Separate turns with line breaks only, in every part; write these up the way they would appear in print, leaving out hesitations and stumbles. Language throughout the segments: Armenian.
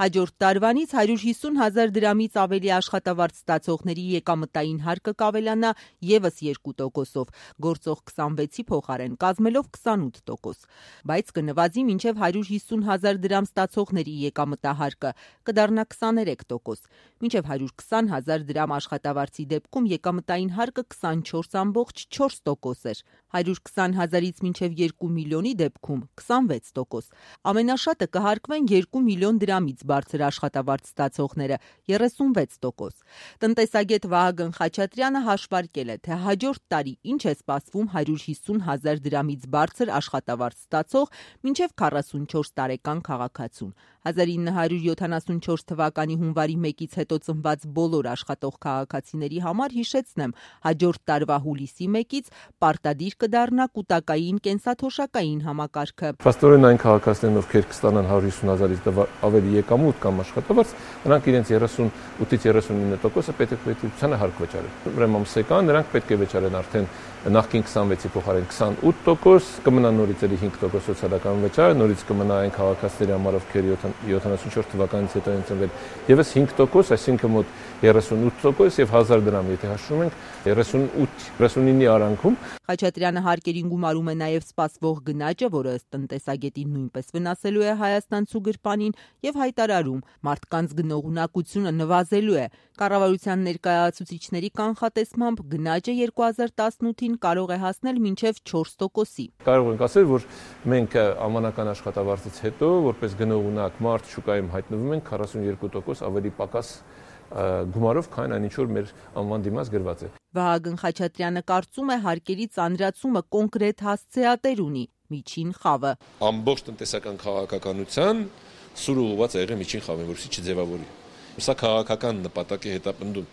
Հաջորդ տարվանից 150,000 դրամից ավելի աշխատավարձ ստացողների եկամտային հարկը կավելանա ևս 2%-ով, գործող 26-ի փոխարեն կազմելով 28%, բայց կնվազի մինչև 150,000 դրամ ստացողների եկամտահարկը կդառնա 23%, մինչև 120,000 դրամ աշխատավարձի դեպքում եկամտային հարկը 24,4% էր, 120,000-ից մինչև 2 միլիոնի դեպքում 26%, ամենաշատը կհարկվեն 2 միլիոն դրամից բարձր աշխատավարձ ստացողները 36%։ Տնտեսագետ Վահագն Խաչատրյանը հաշվարկել է, թե հաջորդ տարի ինչ է սպասվում 150,000 դրամից բարձր աշխատավարձ ստացող մինչև 44 տարեկան քաղաքացուն։ 1974 թվականի հունվարի 1-ից հետո ծնված բոլոր աշխատող քաղաքացիների համար հիշեցնեմ, հաջորդ տարվա հուլիսի 1-ից պարտադիր կդառնա կൂട്ടակային կենսաթոշակային համակարգը։
Փաստորեն այն քաղաքացիներն, ովքեր կստանան 150,000-ից ավելի եկամուտ կամ աշխատավարձ, նրանք իրենց 38-ից 39%-ը պետությանը հարկ վճարեն։ Ուրեմն ամսական նրանք պետք է վճարեն արդեն նախկին 26-ի փոխարեն 28%, կմնա նորից էլի 5% սոցիալական վճար, նորից կմնա այն քաղաքացիների համար, ովքեր 74 թվականից հետո են ծնվել, եւս 5%, այսինքն մոտ 38% եւ 1000 դրամ, եթե հաշվում ենք 38-39-ի արանքում։
Խաչատրյանը հարկերին գումարում է նաև սպասվող գնաճը, որը ըստ տնտեսագետի նույնպես վնասելու է հայաստանցու գրպանին եւ հայտարարում, մարդկանց գնողունակությունը նվազելու է։ Կառավարության ներկայացուցիչների կանխատեսմամբ գնաճը 2018-ին կարող է հասնել մինչև 4%-ի։
Կարող ենք ասել, որ մենք ամանական աշխատավարձից հետո, որպես գնողունակ մարդ շուկայում հայտնվում ենք 42% ավելի պակաս գումարով, քան այն ինչ որ մեր անվան դիմաց գրված է։
Վահագն Խաչատրյանը կարծում է հարկերի ծանրացումը կոնկրետ հասցեատեր ունի՝ միջին խավը։
Ամբողջ տնտեսական քաղաքականության սուրը ուղղված է եղել միջին խավին, որովհետեւ չձևավորի։ Սա քաղաքական նպատակ է հետապնդում։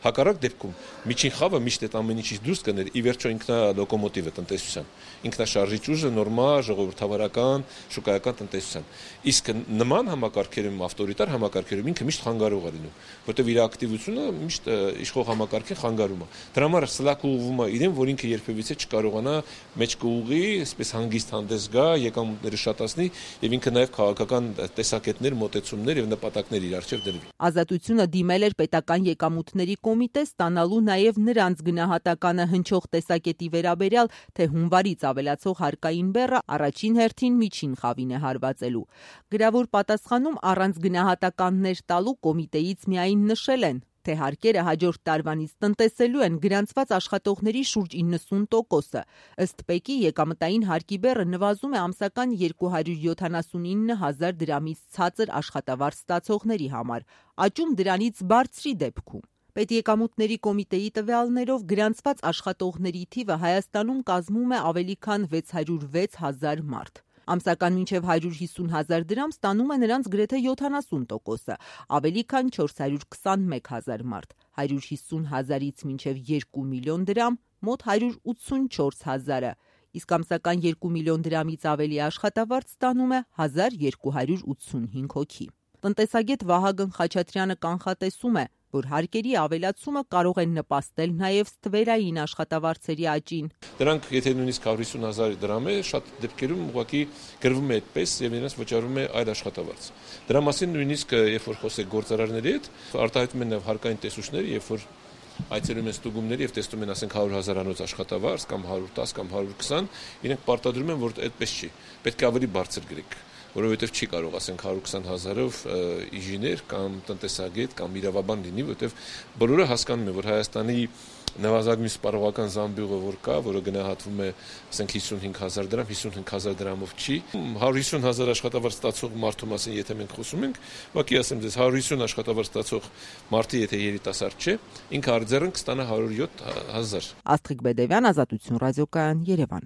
Հակառակ դեպքում միջին խավը միշտ այդ ամեն ինչից դուրս կներ, ի վերջո ինքնա լոկոմոտիվը տնտեսության, ինքնաշարժիչ ուժը նորմալ ժողովրդավարական շուկայական տնտեսության։ Իսկ նման համակարգերում, ավտորիտար համակարգերում ինքը միշտ խանգարող է լինում, որտեղ իր ակտիվությունը միշտ իշխող համակարգին խանգարում է։ Դրա համար սլաք ուղղվում է իրեն, որ ինքը երբևիցե չկարողանա մեջ կուղի, այսպես հանգիստ հանդես գա, եկամուտները շատացնի եւ ինքը նաեւ քաղաքական տեսակետներ, մոտեցումներ եւ նպատակներ իր առջեւ դրվի։
Ազատությունը դիմել էր պետական եկամուտների կոմիտե ստանալու նաև նրանց գնահատականը հնչող տեսակետի վերաբերյալ, թե հունվարից ավելացող հարկային բեռը առաջին հերթին միջին խավին է հարվածելու։ Գրավոր պատասխանում առանց գնահատականներ տալու կոմիտեից միայն նշել են, թե հարկերը հաջորդ տարվանից տնտեսելու են գրանցված աշխատողների շուրջ 90%-ը։ Ըստ ՊԵԿ-ի եկամտային հարկի բեռը նվազում է ամսական 279,000 դրամից ցածր աշխատավարձ ստացողների համար, աճում դրանից բարձրի դեպքում։ Պետեկամուտների կոմիտեի տվյալներով գրանցված աշխատողների թիվը Հայաստանում կազմում է ավելի քան 606,000 մարդ։ Ամսական մինչև 150,000 դրամ ստանում է նրանց գրեթե 70%-ը, ավելի քան 421,000 մարդ, 150,000-ից մինչև 2 միլիոն դրամ մոտ 184,000-ը, իսկ ամսական 2 միլիոն դրամից ավելի աշխատավարձ ստանում է 1285 հոգի։ Տնտեսագետ Վահագն Խաչատրյանը կանխատեսում է, որ հարկերի ավելացումը կարող է նպաստել նաև ստվերային աշխատավարձերի աճին։
Դրանք, եթե նույնիսկ 150,000 դրամ է, շատ դեպքերում ուղղակի գրվում է այդպես եւ նրանց վճարում է այլ աշխատավարձ։ Դրա մասին նույնիսկ երբ որ խոսեք գործարարների հետ, արտահայտում են նաև հարկային տեսուչներ, երբ որ այցելում են ստուգումների եւ տեսնում են, ասենք 100,000-անոց աշխատավարձ կամ 110 կամ 120, իրենք պարտադրում են, որ այդպես չի։ Պետք է ավելի բարձր գրեք, որովհետև չի կարող, ասենք 120,000-ով ինժեներ կամ տնտեսագետ կամ իրավաբան լինի, որովհետև բոլորը հասկանում են, որ Հայաստանի նվազագույն սպառողական զամբյուղը որ կա, որը գնահատվում է, ասենք 55,000 դրամ, 55,000 դրամով չի։ 150,000 աշխատավարձ ստացող մարդու մասին եթե մենք խոսում ենք, ուղղակի ասեմ ձեզ 150 աշխատավարձ ստացող մարդը եթե երիտասարդ չէ, ինքը արձերն կստանա 107,000։
Աստղիկ Բեդևյան, Ազատություն ռադիոկայան, Երևան։